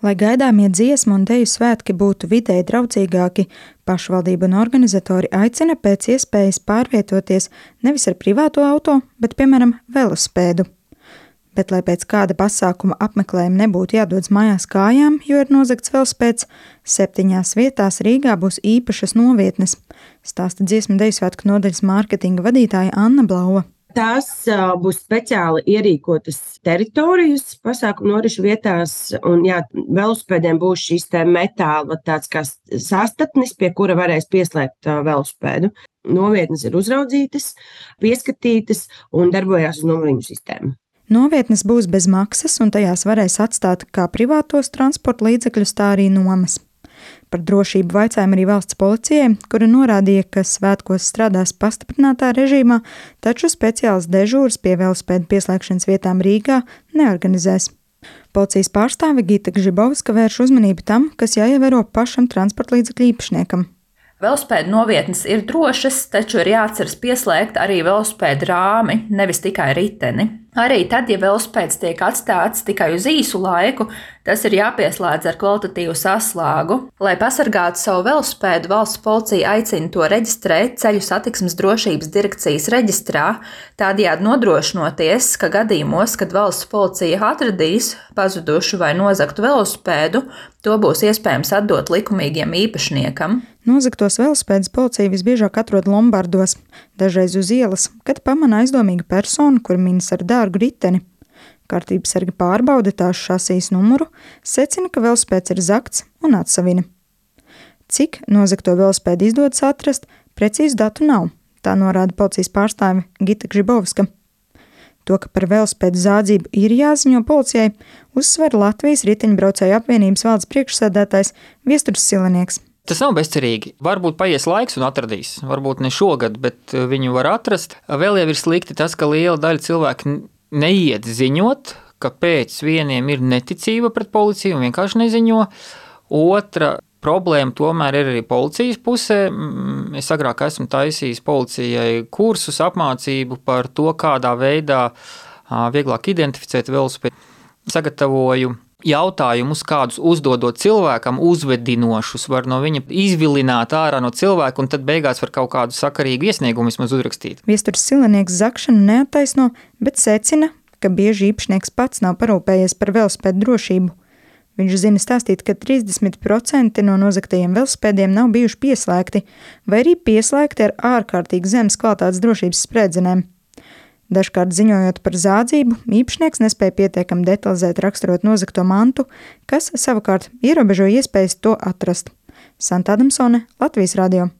Lai gaidāmie dziesmu un deju svētki būtu videi draudzīgāki, pašvaldība un organizatori aicina pēc iespējas pārvietoties nevis ar privāto auto, bet, piemēram, velospēdu. Bet, lai pēc kāda pasākuma apmeklējuma nebūtu jādodas mājās kājām, jo ir nozagts velospēds, 7 vietās Rīgā būs īpašas novietnes, stāsta dziesmu deju svētku nodaļas mārketinga vadītāja Anna Blauva. Tās būs speciāli ierīkotas teritorijas pasākumu norišu vietās, un velospēdiem būs šīs te metāla tāds kā sastatnis, pie kura varēs pieslēgt velospēdu. Novietnes ir uzraudzītas, pieskatītas un darbojās uz numuriņu sistēmu. Novietnes būs bez maksas, un tajās varēs atstāt kā privātos transporta līdzekļus, tā arī nomas. Par drošību vaicājām arī valsts policijai, kura norādīja, ka svētkos strādās pastiprinātā režīmā, taču speciāls dežūras pie velospēdu pieslēgšanas vietām Rīgā neorganizēs. Policijas pārstāve Gita Gžibovska vērš uzmanību tam, kas jāievēro pašam transporta līdzekļu īpašniekam. Velospēdu novietnes ir drošas, taču ir jāatceras pieslēgt arī velospēdu rāmi, nevis tikai riteni. Arī tad, ja velospēds tiek atstāts tikai uz īsu laiku, tas ir jāpieslēdz ar kvalitatīvu saslāgu. Lai pasargātu savu velospēdu, valsts policija aicina to reģistrēt Ceļu satiksmes drošības direkcijas reģistrā, tādējādi nodrošinoties, ka gadījumos, kad valsts policija atradīs pazudušu vai nozagtu velospēdu, to būs iespējams atdot likumīgiem īpašniekam. Nozagtos velospēdus policija visbiežāk atrod lombardos, dažreiz uz ielas, kad pamana aizdomīgu personu, kur minas ar dārgu riteni. Kārtības sargi pārbauda tās šasijas numuru, secina, ka velospēds ir zagts un atsavina. Cik nozagto velospēdu izdodas atrast, precīzu datu nav, tā norāda policijas pārstāve Gita Gžibovska. To, ka par velospēdu zādzību ir jāziņo policijai, uzsver Latvijas riteņbraucēju apvienības valdes priekšsēdētājs Viesturs Silenieks. Tas nav bezcerīgi. Varbūt paies laiks un atradīs. Varbūt ne šogad, bet viņu var atrast. Vēl jau ir slikti tas, ka liela daļa cilvēku neiet ziņot, ka pēc vieniem ir neticība pret policiju un vienkārši neziņo. Otra problēma tomēr ir arī policijas pusē. Es agrāk esmu taisījis policijai kursus, apmācību par to, kādā veidā vieglāk identificēt velospēdu. Sagatavoju jautājumus, kādus uzdodot cilvēkam, uzvedinošus, var no viņa izvilināt ārā no cilvēka, un tad beigās var kaut kādu sakarīgu iesniegumu vismaz uzrakstīt. Viesturs Silenieks zakšanu neattaisno, bet secina, ka bieži īpašnieks pats nav parūpējies par velospēdu drošību. Viņš zina stāstīt, ka 30% no nozagtajiem velospēdiem nav bijuši pieslēgti, vai arī pieslēgti ar ārkārtīgi zemes kvalitātes drošības sprēdzenēm. Dažkārt ziņojot par zādzību, īpašnieks nespēja pietiekami detalizēt raksturot nozagto mantu, kas savukārt ierobežo iespējas to atrast. Santa Adamsone, Latvijas radio.